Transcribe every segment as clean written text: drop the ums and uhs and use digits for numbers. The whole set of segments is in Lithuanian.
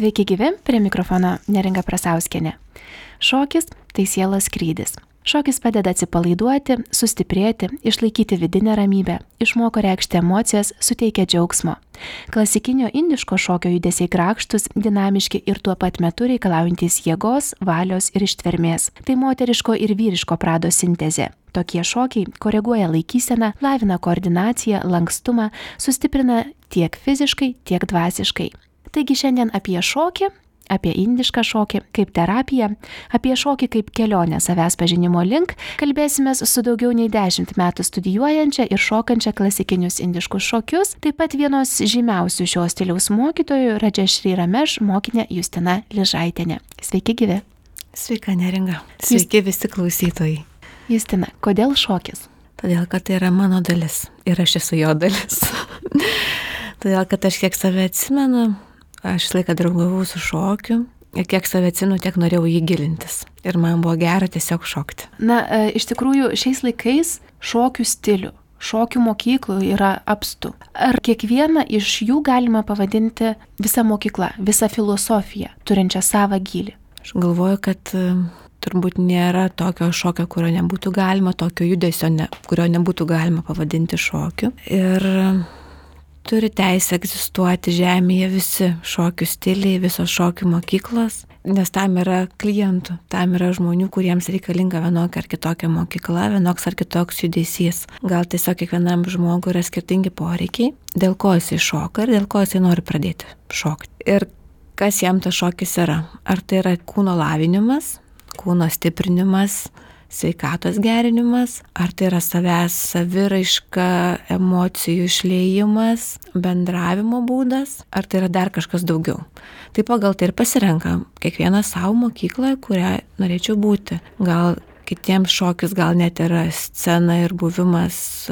Sveiki gyvi, prie mikrofono Neringa Prasauskienė. Šokis – tai sielos skrydis. Šokis padeda atsipalaiduoti, sustiprėti, išlaikyti vidinę ramybę, išmoko reikšti emocijas, suteikia džiaugsmo. Klasikinio indiško šokio judesiai grakštus, dinamiški ir tuo pat metu reikalaujantys jėgos, valios ir ištvermės. Tai moteriško ir vyriško prado sintezė. Tokie šokiai koreguoja laikyseną, lavina koordinaciją, lankstumą, sustiprina tiek fiziškai, tiek dvasiškai. Taigi šiandien apie šokį, apie indišką šokį kaip terapiją, apie šokį kaip kelionę savęs pažinimo link, kalbėsimės su daugiau nei 10 metų studijuojančia ir šokančia klasikinius indiškus šokius, taip pat vienos žymiausių šio stiliaus mokytojų Radžešri Rameš mokinė Justina Ližaitienė. Sveiki gyvi. Sveika Neringa. Sveiki visi klausytojai. Justina, kodėl šokis? Todėl, kad tai yra mano dalis ir aš esu jo dalis. Todėl, kad aš kiek save atsimenu, aš laiką draugavau su šokiu ir kiek save atsimenu, tiek norėjau jį gilintis. Ir man buvo gera tiesiog šokti. Iš tikrųjų, šiais laikais šokių stilių, šokių mokyklų yra apstu. Ar kiekvieną iš jų galima pavadinti visą mokyklą, visą filosofiją, turinčią savą gylį? Aš galvoju, kad turbūt nėra tokio šokio, kurio nebūtų galima, tokio judesio, kurio nebūtų galima pavadinti šokiu. Ir turi teisę egzistuoti žemėje visi šokių stiliai, visos šokių mokyklos, nes tam yra klientų, tam yra žmonių, kuriems reikalinga vienokia ar kitokia mokykla, vienoks ar kitoks judesys. Gal tiesiog kiekvienam žmogui yra skirtingi poreikiai, dėl ko jisai šoka ir dėl ko jisai nori pradėti šokti. Ir kas jam tas šokis yra? Ar tai yra kūno lavinimas, kūno stiprinimas, sveikatos gerinimas, ar tai yra savęs saviraiška, emocijų išliejimas, bendravimo būdas, ar tai yra dar kažkas daugiau. Tai pagal tai ir pasirenka kiekvieną savo mokyklą, kurią norėčiau būti. Gal kitiems šokis, gal net yra scena ir buvimas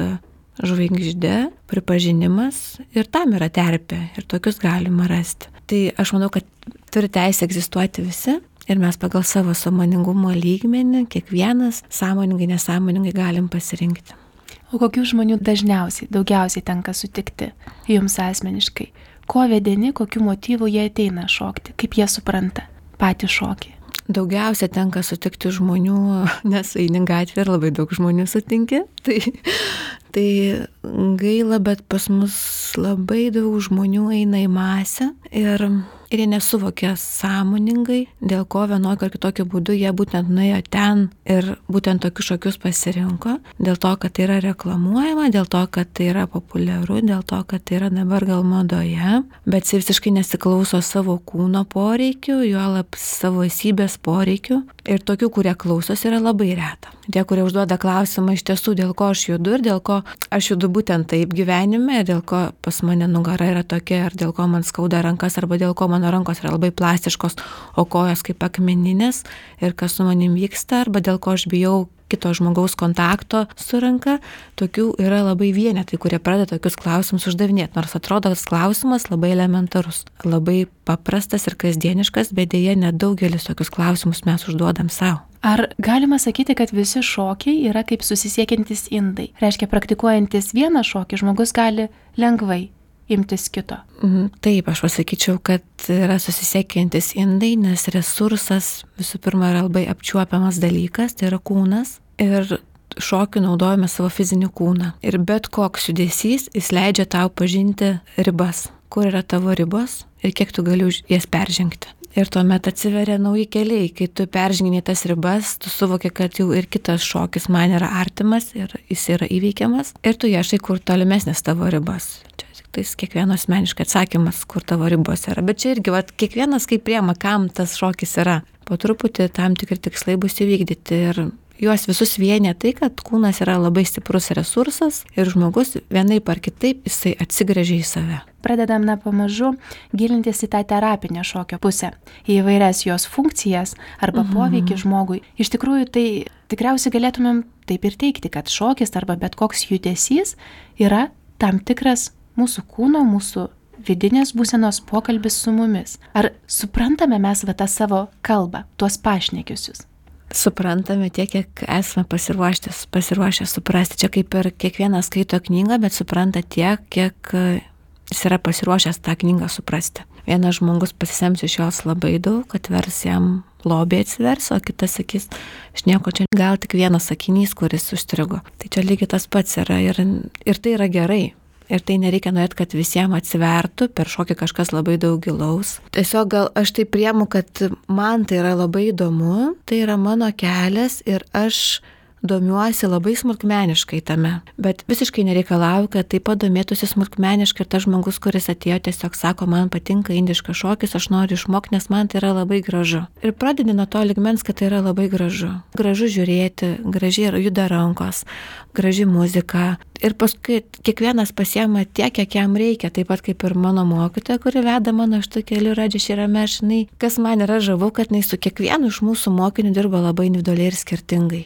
žvaigžde, pripažinimas ir tam yra terpė ir tokius galima rasti. Tai aš manau, kad turi teisę egzistuoti visi. Ir mes pagal savo sąmoningumo lygmenį, kiekvienas sąmoningai, nesąmoningai galim pasirinkti. O kokių žmonių daugiausiai tenka sutikti jums asmeniškai? Ko vedini, kokių motyvų jie ateina šokti? Kaip jie supranta patį šokį? Daugiausia tenka sutikti žmonių, nes eini gatvė ir labai daug žmonių sutinki. Tai gaila, bet pas mus labai daug žmonių eina į masę ir jie nesuvokia sąmoningai, dėl ko vienokio ar kitokio būdu jie būtent nuėjo ten ir būtent tokius šokius pasirinko, dėl to, kad tai yra reklamuojama, dėl to, kad tai yra populiaru, dėl to, kad tai yra dabar gal madoje, bet jis visiškai nesiklauso savo kūno poreikių, juolab savo esybės poreikių. Ir tokių, kurie klausos, yra labai reta. Tie, kurie užduoda klausimą iš tiesų, dėl ko aš judu ir dėl ko aš judu būtent taip gyvenime, dėl ko pas mane nugara yra tokia, ar dėl ko man skauda rankas, arba dėl ko mano rankos yra labai plastiškos, o kojos kaip akmeninės ir kas su manim vyksta, arba dėl ko aš bijau kito žmogaus kontakto su ranka, tokių yra labai vienetai, kurie pradeda tokius klausimus uždavinėti, nors atrodo, tas klausimas labai elementarus, labai paprastas ir kasdieniškas, bet dėja nedaugelis tokius klausimus mes užduodam savo. Ar galima sakyti, kad visi šokiai yra kaip susisiekiantys indai? Reiškia, praktikuojantis vieną šokį žmogus gali lengvai imtis kito. Taip, aš pasakyčiau, kad yra susisiekiantis indai, nes resursas visų pirma yra labai apčiuopiamas dalykas, tai yra kūnas ir šokiu naudojame savo fizinį kūną. Ir bet koks judesys, jis leidžia tau pažinti ribas, kur yra tavo ribos ir kiek tu gali jas peržengti. Ir tuomet atsiveria nauji keliai, kai tu peržengini tas ribas, tu suvoki, kad jau ir kitas šokis man yra artimas ir jis yra įveikiamas ir tu ieškai, kur tolimesnės tavo ribas. Čia tai kiekvieno asmeniškai atsakymas, kur tavo ribos yra. Bet čia irgi kiekvienas kaip priema, kam tas šokis yra. Po truputį tam tikri tikslai bus įvykdyti ir juos visus vienė tai, kad kūnas yra labai stiprus resursas ir žmogus vienaip ar kitaip jisai atsigręžia į save. Pradedam pamažu gilintis į tą terapinę šokio pusę, į įvairias jos funkcijas arba poveikį žmogui. Iš tikrųjų, tai tikriausiai galėtumėm taip ir teigti, kad šokis arba bet koks judesys yra tam tikras mūsų kūno, mūsų vidinės būsenos pokalbis su mumis. Ar suprantame mes tą savo kalbą, tuos pašnekiusius? Suprantame tiek, kiek esame pasiruošę suprasti. Čia kaip ir kiekvienas skaito knygą, bet supranta tiek, kiek jis yra pasiruošęs tą knygą suprasti. vienas žmogus pasisems iš jos labai daug, atvers jam lobį atsivers, o kitas sakys, aš nieko čia, gal tik vienas sakinys, kuris užstrigo. Tai čia lygiai tas pats yra ir tai yra gerai. Ir tai nereikia norėti, kad visiems atsivertų, per šokį kažkas labai daug gilaus. Tiesiog gal aš tai priemu, kad man tai yra labai įdomu, tai yra mano kelias ir aš domiuosi labai smulkmeniškai tame. Bet visiškai nereikalauju, kad taip pat domėtųsi smulkmeniškai ir tas žmogus, kuris atėjo, tiesiog sako, man patinka indiškas šokis, aš noriu išmokti, nes man tai yra labai gražu. Ir pradedi nuo to lygmens, kad tai yra labai gražu. Gražu žiūrėti, gražiai juda rankos, graži muzika. Ir paskui kiekvienas pasiema tiek, kiek jam reikia, taip pat kaip ir mano mokytoja, kuri veda mano šitų kelių Radžišį Ramešinai. Kas man yra žavu, kad jinai su kiekvienu iš mūsų mokinių dirba labai individualiai ir skirtingai.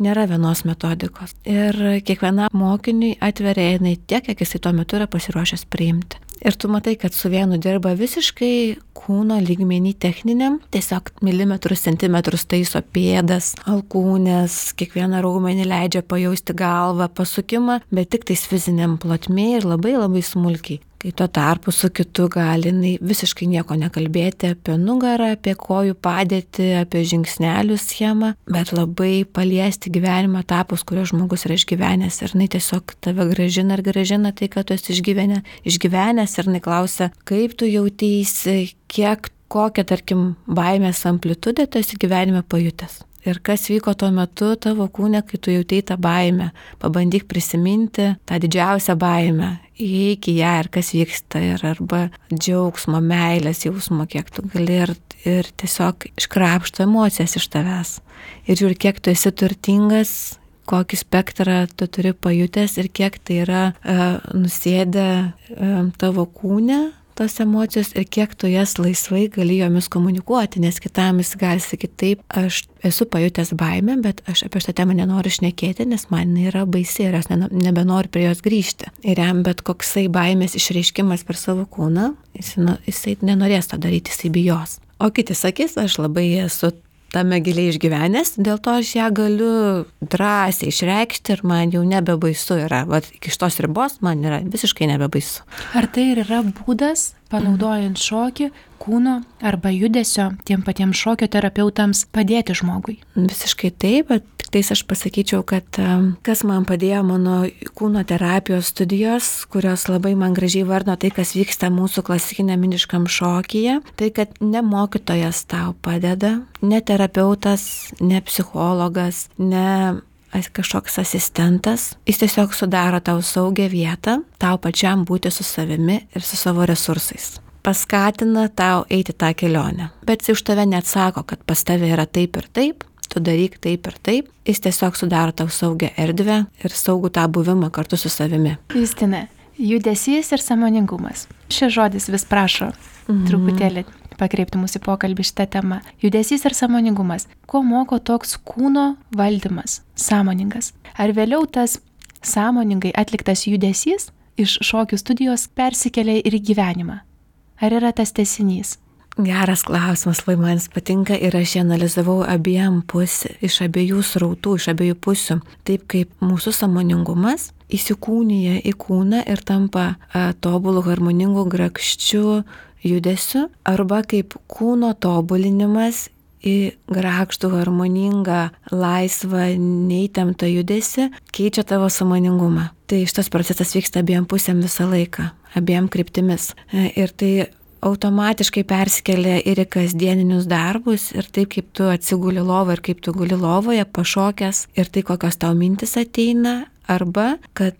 Nėra vienos metodikos. Ir kiekvienam mokiniui atveria jinai tiek, kiek jisai tuo metu yra pasiruošęs priimti. Ir tu matai, kad su vienu dirba visiškai kūno lygmenį techniniam, tiesiog milimetrus, centimetrus taiso pėdas, alkūnės, kiekvieną raumenį leidžia pajausti galvą, pasukimą, bet tik tais fiziniam plotmėje ir labai labai smulkiai. Kai tuo tarpu su kitu gali visiškai nieko nekalbėti apie nugarą, apie kojų padėtį, apie žingsnelių schemą, bet labai paliesti gyvenimo etapus, kuriuos žmogus yra išgyvenęs ir tiesiog tave grąžina ir grąžina tai, kad tu esi išgyvenęs ir klausia, kaip tu jauteisi, kokią, tarkim, baimės amplitudę tu esi gyvenime pajutęs. Ir kas vyko tuo metu tavo kūne, kai tu jautei tą baimę. Pabandyk prisiminti tą didžiausią baimę. Įeik į ją ir kas vyksta. Ir arba džiaugsmo, meilės jausmo, kiek tu gali ir tiesiog iškrapšto emocijas iš tavęs. Ir žiūri, kiek tu esi turtingas, kokį spektrą tu turi pajutęs ir kiek tai yra nusėdę tavo kūne. Tos emocijos ir kiek tu jas laisvai gali jomis komunikuoti, nes kitam jis gali sakyti taip, aš esu pajutęs baimę, bet aš apie šitą temą nenoriu šnekėti, nes man yra baisi ir aš nebenoriu prie jos grįžti. Ir jam bet koksai baimės išreiškimas per savo kūną, jisai nenorės to daryti, jisai bijos. O kiti sakys, aš labai esu tame giliai išgyvenęs, dėl to aš ją galiu drąsiai išreikšti ir man jau nebebaisu yra. Vat iki šitos ribos man yra visiškai nebebaisu. Ar tai ir yra būdas, panaudojant šokį, kūno arba judesio tiem patiems šokio terapeutams padėti žmogui? Visiškai taip, bet tik tais aš pasakyčiau, kad kas man padėjo mano kūno terapijos studijos, kurios labai man gražiai vardino tai, kas vyksta mūsų klasikiniam indiškam šokyje, tai kad ne mokytojas tau padeda, ne terapeutas, ne psichologas, ne kažkoks asistentas, jis tiesiog sudaro tau saugią vietą, tau pačiam būti su savimi ir su savo resursais. Paskatina tau eiti tą kelionę. Bet jis už tave neatsako, kad pas tave yra taip ir taip, tu daryk taip ir taip. Jis tiesiog sudaro tau saugią erdvę ir saugų tą buvimą kartu su savimi. Justina, judesys ir sąmoningumas. Šis žodis vis prašo truputėlį pakreipti mūsų pokalbį šitą temą. Judesys ir sąmoningumas. Ko moko toks kūno valdymas, sąmoningas? Ar vėliau tas sąmoningai atliktas judesys iš šokių studijos persikelia ir į gyvenimą? Ar yra tas tęsinys? Geras klausimas, labai man patinka ir aš analizavau iš abiejų srautų, iš abiejų pusių. Taip kaip mūsų sąmoningumas įsikūnija į kūną ir tampa tobulų, harmoningų, grakščių judesiu, arba kaip kūno tobulinimas į grakštų, harmoningą, laisvą, neįtemptą judesį keičia tavo sąmoningumą. Tai šitas procesas vyksta abiem pusėm visą laiką, abiem kryptimis. Ir tai automatiškai persikelia ir į kasdieninius darbus ir taip, kaip tu atsiguli lovą ir kaip tu guli lovoje, pašokęs ir tai, kokios tau mintis ateina, arba kad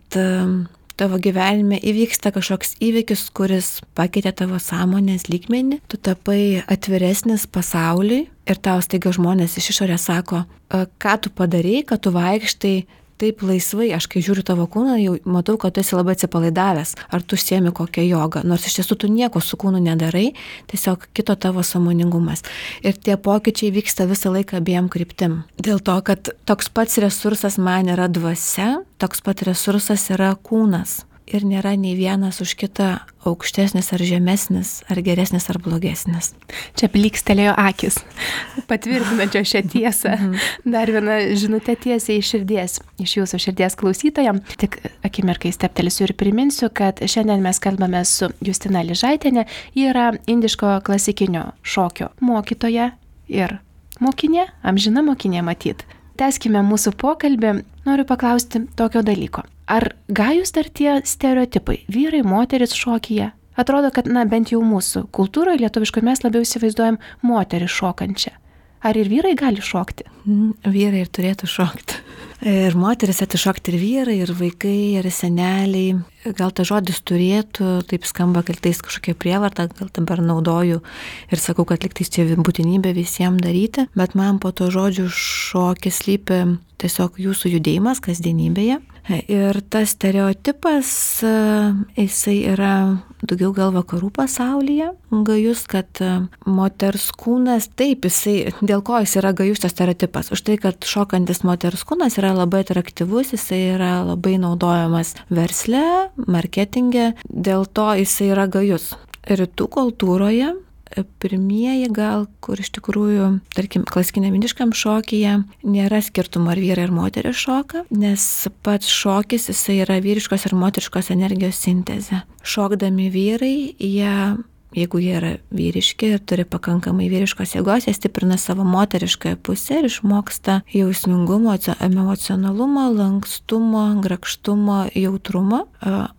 tavo gyvenime įvyksta kažkoks įvykis, kuris pakeitė tavo sąmonės lygmenį, tu tapai atviresnis pasauliui ir tau staiga žmonės iš išorės sako, ką tu padarei, kad tu vaikštai taip laisvai. Aš kai žiūriu tavo kūną, jau matau, kad tu esi labai atsipalaidavęs, ar tu užsiemi kokią jogą, nors iš tiesų tu nieko su kūnu nedarai, tiesiog kito tavo sąmoningumas. Ir tie pokyčiai vyksta visą laiką abiem kryptim. Dėl to, kad toks pats resursas man yra dvasia, toks pat resursas yra kūnas. ir nėra nei vienas už kitą aukštesnis ar žemesnis, ar geresnis ar blogesnis. Čia plykstelėjo akis, patvirtinančio šią tiesą. Dar viena žinutė tiesiai iš širdies, iš jūsų širdies klausytojam. Tik akimirkai steptelsiu ir priminsiu, kad šiandien mes kalbame su Justina Lyžaitienė. Ji yra indiško klasikinio šokio mokytoja ir mokinė, amžina mokinė matyt. Tęskime mūsų pokalbį. Noriu paklausti tokio dalyko. Ar gajus dar tie stereotipai, vyrai, moteris šokyje? Atrodo, kad, bent jau mūsų kultūroje lietuviškai mes labiau įsivaizduojam moterį šokančią. Ar ir vyrai gali šokti? Vyrai ir turėtų šokti. Ir moteris atišokti ir vyrai, ir vaikai, ir seneliai. Gal ta žodis turėtų, taip skamba, kad tai kažkokia prievarta, gal dabar naudoju ir sakau, kad liktais čia būtinybė visiems daryti, bet man po to žodžių šokis slypi tiesiog jūsų judėjimas kasdienybėje. Ir tas stereotipas, jisai yra daugiau gal vakarų pasaulyje gajus, kad moters kūnas, taip, jisai, dėl ko jis yra gajus tas stereotipas? Už tai, kad šokantis moters kūnas yra labai atraktyvus, jisai yra labai naudojamas versle, marketinge, dėl to jisai yra gajus. Rytų kultūroje pirmieji gal, kur iš tikrųjų, tarkim, klasikiniam indiškam šokyje nėra skirtumo ar vyrai ar moteris šoka, nes pats šokis jisai yra vyriškos ir moteriškos energijos sintezė. Šokdami vyrai, jeigu jie yra vyriški ir turi pakankamai vyriškos jėgos, jie stiprina savo moteriškąją pusę ir išmoksta jausmingumo, emocionalumo, lankstumo, grakštumo, jautrumo.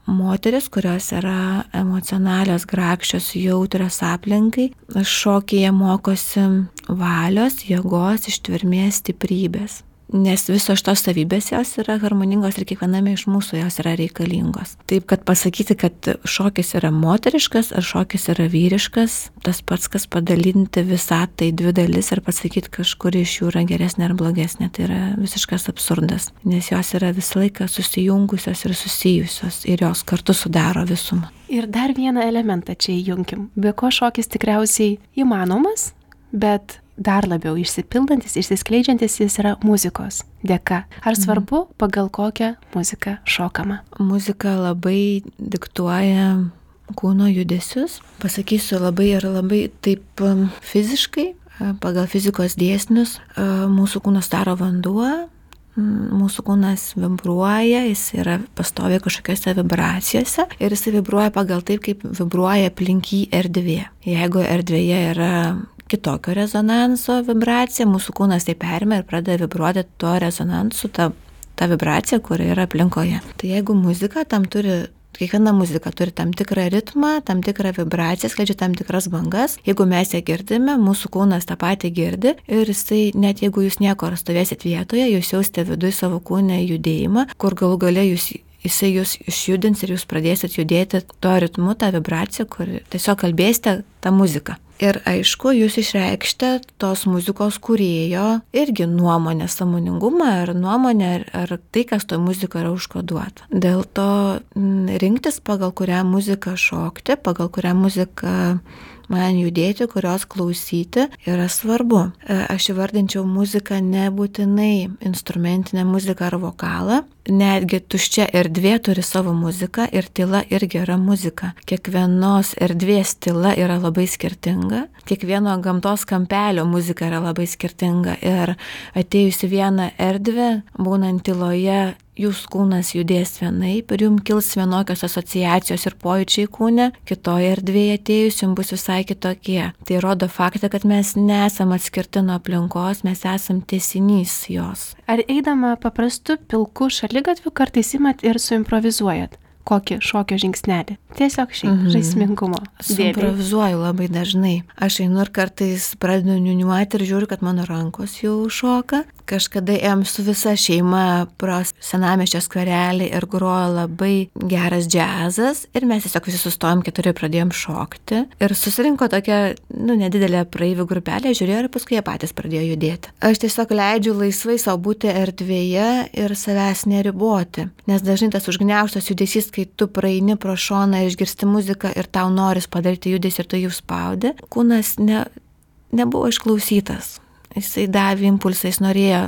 Moteris, kurios yra emocionalios, grakščios, jautrios aplinkai, šokyje mokosi valios, jėgos, ištvermės, stiprybės. Nes visos šitos savybės jos yra harmoningos ir kiekviename iš mūsų jos yra reikalingos. Taip, kad pasakyti, kad šokis yra moteriškas ar šokis yra vyriškas, tas pats, kas padalinti visą tai dvi dalis ir pasakyti, kažkuri iš jų yra geresnė ar blogesnė, tai yra visiškas absurdas. Nes jos yra visą laiką susijungusios ir susijusios ir jos kartu sudaro visumą. Ir dar vieną elementą čia įjunkim. Be ko šokis tikriausiai įmanomas, bet dar labiau išsipildantis, išsiskleidžiantis jis yra muzikos dėka. Ar svarbu, pagal kokią muziką šokama? Muzika labai diktuoja kūno judesius. Pasakysiu labai ir labai taip fiziškai, pagal fizikos dėsnius, mūsų kūnas daro vanduo, mūsų kūnas vibruoja, jis yra pastoviai kažkokiose vibracijose ir jis vibruoja pagal taip, kaip vibruoja aplink jį erdvė. Jeigu erdvėje yra kitokio rezonanso vibracija, mūsų kūnas tai perima ir pradeda vibruoti tuo rezonansu, ta vibracija, kuri yra aplinkoje. Tai jeigu muzika tam turi, kiekviena muzika turi tam tikrą ritmą, tam tikrą vibraciją, skleidžia tam tikras bangas, jeigu mes ją girdime, mūsų kūnas tą patį girdi ir jisai, net jeigu jūs nieko stovėsit vietoje, jūs jausite viduje savo kūne judėjimą, kur galų gale jisai jūs išjudins ir jūs pradėsit judėti tuo ritmu, tą vibraciją, kur tiesiog kalbėsite tą muziką. Ir aišku, jūs išreikšite tos muzikos kūrėjo irgi nuomonę, sąmoningumą ar nuomonę, ar tai, kas to muzikoje yra užkoduota. Dėl to rinktis, pagal kurią muziką šokti, pagal kurią muziką man judėti, kurios klausyti, yra svarbu. Aš įvardinčiau muziką nebūtinai instrumentinę muziką ar vokalą. Netgi tuščia erdvė turi savo muziką ir tyla irgi yra muzika. Kiekvienos erdvės tyla yra labai skirtinga. Kiekvieno gamtos kampelio muzika yra labai skirtinga. Ir atėjus į vieną erdvę, būnant tyloje, jūsų kūnas judės vienaip ir jums kils vienokios asociacijos ir pojūčiai kūne, kitoje erdvėje atėjus jums bus visai kitokie. Tai rodo faktą, kad mes nesam atskirti nuo aplinkos, mes esam tęsinys jos. Ar eidama paprastu pilku šaligatviu kartais imat ir suimprovizuojat kokį šokio žingsnelį? Tiesiog šiaip žaismingumo. Suimprovizuoju labai dažnai. Aš einu ir kartais pradedu niuniuoti ir žiūriu, kad mano rankos jau šoka. Kažkada ėjom su visa šeima pro senamiesčio skverelį ir grojo labai geras džiazas ir mes tiesiog visi sustojom, keturi pradėjom šokti ir susirinko tokia, nedidelė praeivių grupelė, žiūrėjo ir paskui jie patys pradėjo judėti. Aš tiesiog leidžiu laisvai savo būti erdvėje ir savęs neriboti, nes dažnai tas užgniaužtas judesys, kai tu praeini pro šoną, išgirsti muziką ir tau noris padaryti judesį ir tu jų spaudi, kūnas nebuvo išklausytas. Jisai davė impulsą, jis norėjo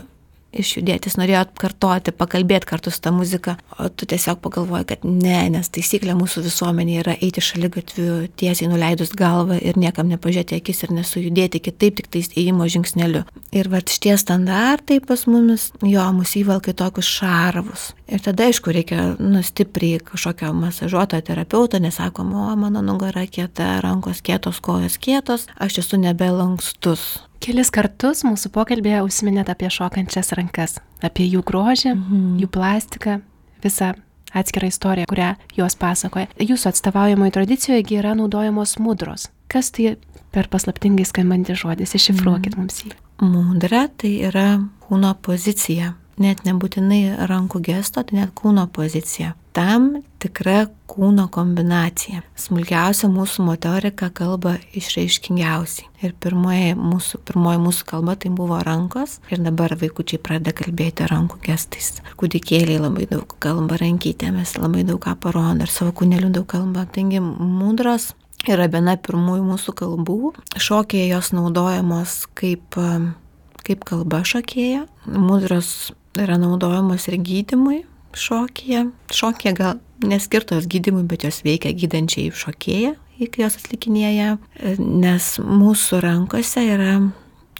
išjudėti, jis norėjo atkartoti, pakalbėti kartu su ta muzika, o tu tiesiog pagalvoji, kad ne, nes taisyklė mūsų visuomenėje yra eiti šaligatviu tiesiai nuleidus galvą ir niekam nepažiūrėti akis ir nesujudėti kitaip, tik tais ėjimo žingsneliu. Ir va šitie standartai pas mumis, mus įvelka į tokius šarvus. Ir tada, aišku, reikia stipriai kažkokio masažuotojo terapeuto, nesakom, mano nugara kieta, rankos kietos, kojos kietos, aš esu nebelankstus. Kelis kartus mūsų pokalbėje užsiminėt apie šokančias rankas, apie jų grožį, jų plastiką, visą atskirą istoriją, kurią jos pasakoja. Jūsų atstovaujamoje tradicijoje yra naudojamos mudros. Kas tai per paslaptingai skambantis žodis? Iššifruokit mums jį. Mudra tai yra kūno pozicija. Net nebūtinai rankų gesto, tai net kūno pozicija. Tam tikra kūno kombinacija. Smulkiausia mūsų motorika kalba išraiškingiausiai. Ir pirmoji mūsų kalba tai buvo rankos. Ir dabar vaikučiai pradeda kalbėti rankų gestais. Kūdikėliai labai daug kalba rankytėmis, labai daug ką parodo ir savo kūnelių daug kalba. Taigi mudros yra viena pirmųjų mūsų kalbų. Šokėje jos naudojamos kaip kalba šokėja. Mudros yra naudojamos ir gydymui šokėje. Šokėje gal neskirtos gydymui, bet jos veikia gydančiai šokėją, kai jos atlikinėja, nes mūsų rankose yra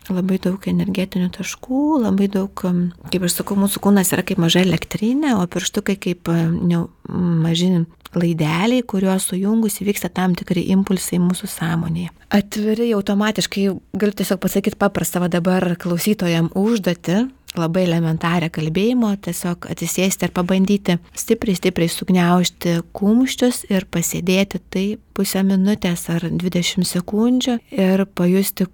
labai daug energetinių taškų, labai daug, kaip aš sakau, mūsų kūnas yra kaip maža elektrinė, o pirštukai kaip maži laideliai, kuriuos sujungus įvyksta tam tikri impulsai mūsų sąmonėje. Atviri automatiškai, galiu tiesiog pasakyti paprastą dabar klausytojam užduotį, labai elementarią kalbėjimo, tiesiog atsisėsti ir pabandyti stipriai sugniaužti kumščius ir pasėdėti tai pusę minutės ar 20 sekundžių ir pajusti,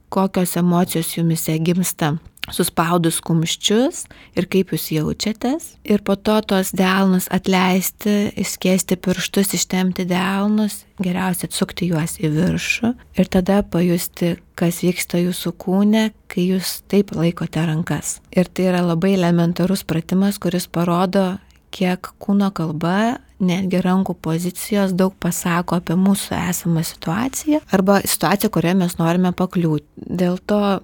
kokios emocijos jumise gimsta suspaudus kumščius ir kaip jūs jaučiatės. Ir po to tos delnus atleisti, išskėsti pirštus, ištempti delnus, geriausia atsukti juos į viršų ir tada pajusti, kas vyksta jūsų kūne, kai jūs taip laikote rankas. Ir tai yra labai elementarus pratimas, kuris parodo, kiek kūno kalba, netgi rankų pozicijos daug pasako apie mūsų esamą situaciją arba situaciją, kurioje mes norime pakliūti. Dėl to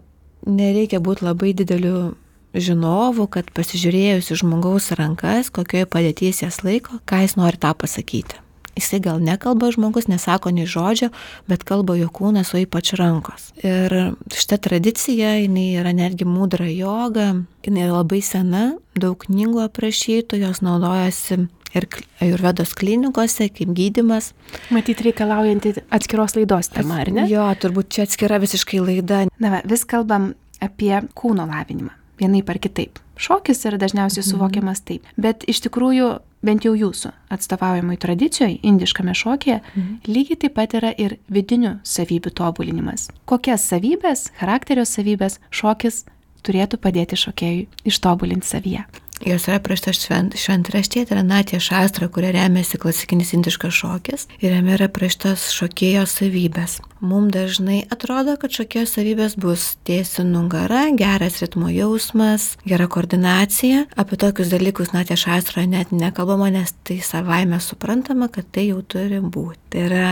nereikia būti labai dideliu žinovu, kad pasižiūrėjus į žmogaus rankas, kokioje padėties jas laiko, ką jis nori tą pasakyti. Jisai gal nekalba žmogus, nesako nei žodžio, bet kalba jo kūnas, o ypač rankos. Ir šita tradicija, jinai yra netgi mudra joga, jinai labai sena, daug knygų aprašytų, jos naudojasi ir ajurvedos klinikose kaip gydymas. Matyt, reikalaujantį atskiros laidos tema, ar ne? Jo, turbūt čia atskira visiškai laida. Na, vis kalbam apie kūno lavinimą, vienaip ar kitaip. Šokis yra dažniausiai suvokiamas taip, bet iš tikrųjų, bent jau jūsų atstovaujamai tradicijoje, indiškame šokyje, lygiai taip pat yra ir vidinių savybių tobulinimas. Kokias savybės, charakterio savybės šokis turėtų padėti šokėjui ištobulinti savyje? Jos yra aprašytos šventraštyje, tai yra Natya Šastra, kuria remiasi klasikinis indiškas šokis ir jame yra aprašytos šokėjo savybės. Mums dažnai atrodo, kad šokėjo savybės bus tiesi nugara, geras ritmo jausmas, gera koordinacija. Apie tokius dalykus Natya Šastroje net nekalbama, nes tai savaime suprantama, kad tai jau turi būti. Tai yra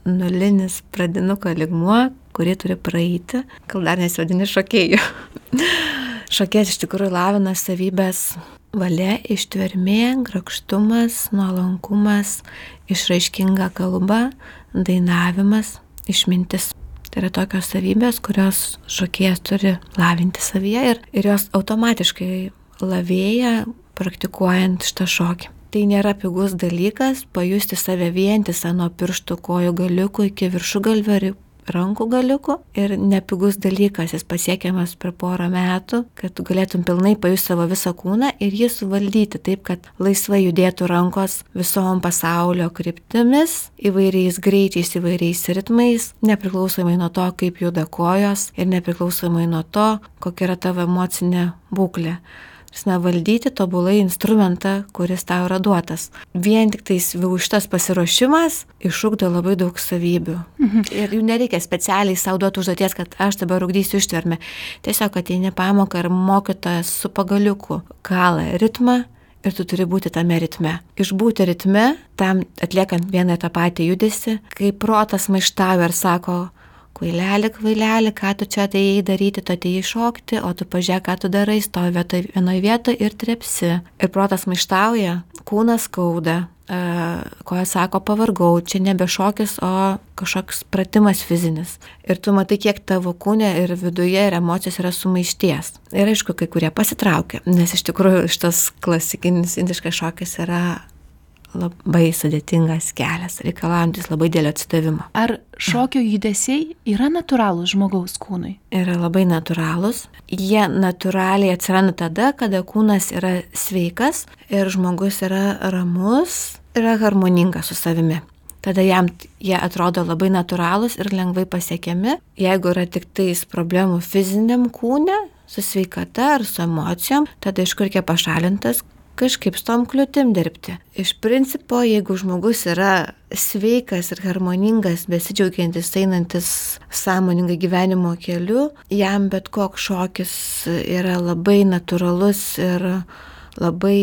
nulinis pradinuko lygmuo, kurį turi praeiti, kol dar nesivadini šokėjų. Šokėjas iš tikrųjų lavina savybės valia, ištvermė, grakštumas, nuolankumas, išraiškinga kalba, dainavimas, išmintis. Tai yra tokios savybės, kurios šokėjas turi lavinti savyje ir jos automatiškai lavėja praktikuojant šitą šokį. Tai nėra pigus dalykas pajusti save vientisą nuo pirštų kojų galiukų iki viršugalvio ir rankų galiukų ir nepigus dalykas, jis pasiekiamas per porą metų, kad tu galėtum pilnai pajusti savo visą kūną ir jį suvaldyti taip, kad laisvai judėtų rankos visom pasaulio kryptimis, įvairiais greičiais, įvairiais ritmais, nepriklausomai nuo to, kaip juda kojos ir nepriklausomai nuo to, kokia yra tavo emocinė būklė. Valdyti tobulai instrumentą, kuris tau yra duotas. Vien tik tais šitas pasiruošimas išugdo labai daug savybių. Ir jų nereikia specialiai savo duoti užduoties, kad aš dabar ugdysiu ištvermę. Tiesiog ateini pamoką ir mokytojas su pagaliuku kala ritmą ir tu turi būti tame ritme. Išbūti ritme, tam atliekant vieną tą patį judesį, kai protas maištauja ir sako, kvaileli, ką tu čia atėjai daryti, tu atėjai šokti, o tu pažiūrėk, ką tu darai, stovi vienoje vietoje ir trepsi. Ir protas maištauja, kūnas skauda, koja sako pavargau, čia nebe šokis, o kažkoks pratimas fizinis. Ir tu matai, kiek tavo kūne ir viduje ir emocijos yra sumaišties. Ir aišku, kai kurie pasitraukia, nes iš tikrųjų šitas klasikinis indiškas šokis yra labai sudėtingas kelias, reikalaujantis labai didelio atsidavimo. Ar šokio judesiai yra natūralūs žmogaus kūnui? Yra labai natūralūs. Jie natūraliai atsiranda tada, kada kūnas yra sveikas ir žmogus yra ramus, yra harmoningas su savimi. Tada jam jie atrodo labai natūralūs ir lengvai pasiekiami. Jeigu yra tik tais problemų fiziniam kūne, su sveikata ar su emocijom, tada iš kur reikia pašalintas, kažkaip su tom kliūtim dirbti. Iš principo, jeigu žmogus yra sveikas ir harmoningas, besidžiaugiantis, einantis sąmoningai gyvenimo keliu, jam bet koks šokis yra labai natūralus ir labai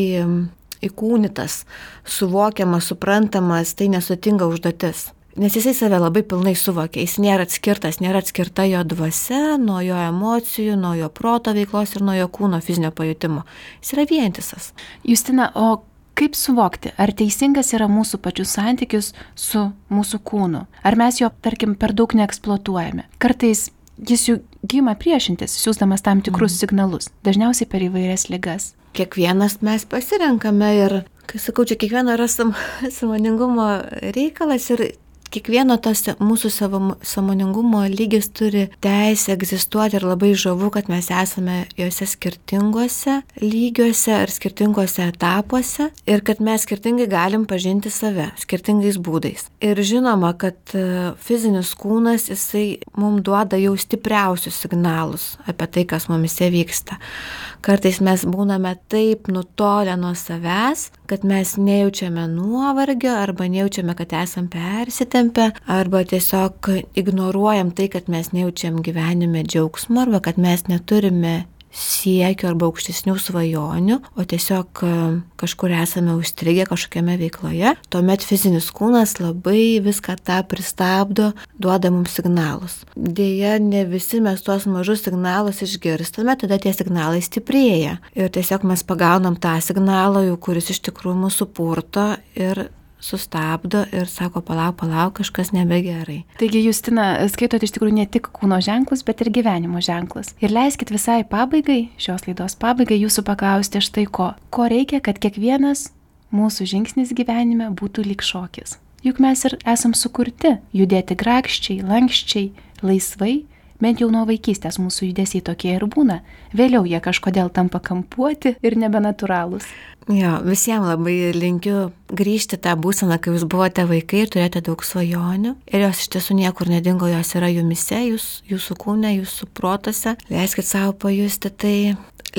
įkūnytas, suvokiamas, suprantamas, tai nesudėtinga užduotis. Nes jisai save labai pilnai suvokia, jis nėra atskirtas, nėra atskirta jo dvasia nuo jo emocijų, nuo jo proto veiklos ir nuo jo kūno fizinio pajutimo. Jis yra vientisas. Justina, o kaip suvokti, ar teisingas yra mūsų pačių santykis su mūsų kūnu? Ar mes jo, tarkim, per daug neeksploatuojame? Kartais jis jų gyma priešintis, siūsdamas tam tikrus signalus, dažniausiai per įvairias ligas. Kiekvienas mes pasirenkame ir, kai sakau, čia kiekvieno yra sąmoningumo reikalas ir kiekvieno tas mūsų sąmoningumo lygis turi teisę egzistuoti ir labai žavu, kad mes esame juose skirtinguose lygiuose ar skirtinguose etapuose ir kad mes skirtingai galim pažinti save, skirtingais būdais. Ir žinoma, kad fizinis kūnas, jisai mums duoda jau stipriausius signalus apie tai, kas mumise vyksta. Kartais mes būname taip nutolę nuo savęs, kad mes nejaučiame nuovargio arba nejaučiame, kad esam persitempę, arba tiesiog ignoruojam tai, kad mes nejaučiam gyvenime džiaugsmo arba kad mes neturime siekio arba aukštesnių svajonių, o tiesiog kažkur esame užstrigę kažkokiame veikloje, tuomet fizinis kūnas labai viską tą pristabdo, duoda mums signalus. Deja, ne visi mes tuos mažus signalus išgirstame, tada tie signalai stiprėja. Ir tiesiog mes pagaunam tą signalą, kuris iš tikrųjų mūsų purto ir sustabdo ir sako, palauk, kažkas nebegerai. Taigi, Justina, skaitot iš tikrųjų ne tik kūno ženklus, bet ir gyvenimo ženklus. Ir leiskit visai pabaigai, šios laidos pabaigai, jūsų paklausti štai ko. Ko reikia, kad kiekvienas mūsų žingsnis gyvenime būtų lyg šokis? Juk mes ir esam sukurti judėti grakščiai, lankščiai, laisvai, bent jau nuo vaikystės mūsų judesiai tokie ir būna. Vėliau jie kažkodėl tampa kampuoti ir nebenatūralūs. Jo, visiems labai linkiu grįžti tą būseną, kai jūs buvote vaikai ir turėjote daug svajonių. Ir jos iš tiesų niekur nedingo, jos yra jumise, jūsų kūne, jūsų protose. Leiskit savo pajusti tai.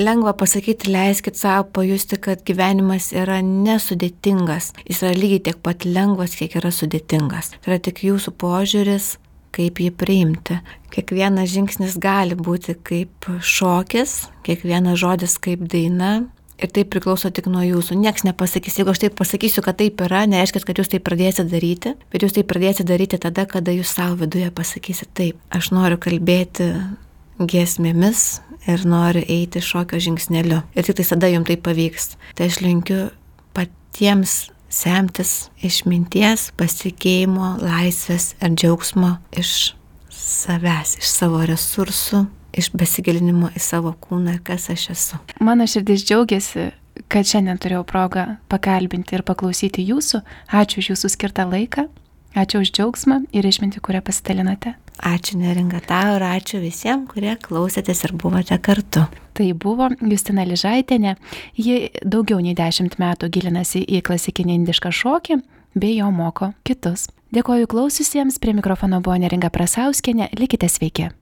Lengva pasakyti, leiskit savo pajusti, kad gyvenimas yra nesudėtingas. Jis yra lygiai tiek pat lengvas, kiek yra sudėtingas. Tai yra tik jūsų požiūris, kaip jį priimti. Kiekvienas žingsnis gali būti kaip šokis, kiekvienas žodis kaip daina. Ir tai priklauso tik nuo jūsų. Niekas nepasakys, jeigu aš taip pasakysiu, kad taip yra, nereiškia, kad jūs tai pradėsite daryti, bet jūs tai pradėsite daryti tada, kada jūs savo viduje pasakysite taip. Aš noriu kalbėti giesmėmis ir noriu eiti šokio žingsneliu. Ir tik tai tada jums tai pavyks. Tai aš linkiu patiems semtis išminties, pasitikėjimo, laisvės ir džiaugsmo iš savęs, iš savo resursų, iš besigilinimo į savo kūną ir kas aš esu. Mano širdis džiaugiasi, kad šiandien turėjau progą pakalbinti ir paklausyti jūsų. Ačiū už jūsų skirtą laiką, ačiū už džiaugsmą ir išmintį, kurią pasidalinate. Ačiū Neringa tau ir ačiū visiems, kurie klausėtės ir buvote kartu. Tai buvo Justina Ližaitienė. Ji daugiau nei 10 metų gilinasi į klasikinį indišką šokį bei jo moko kitus. Dėkoju klausiusiems, prie mikrofono buvo Neringa Prasauskienė, likite sveiki.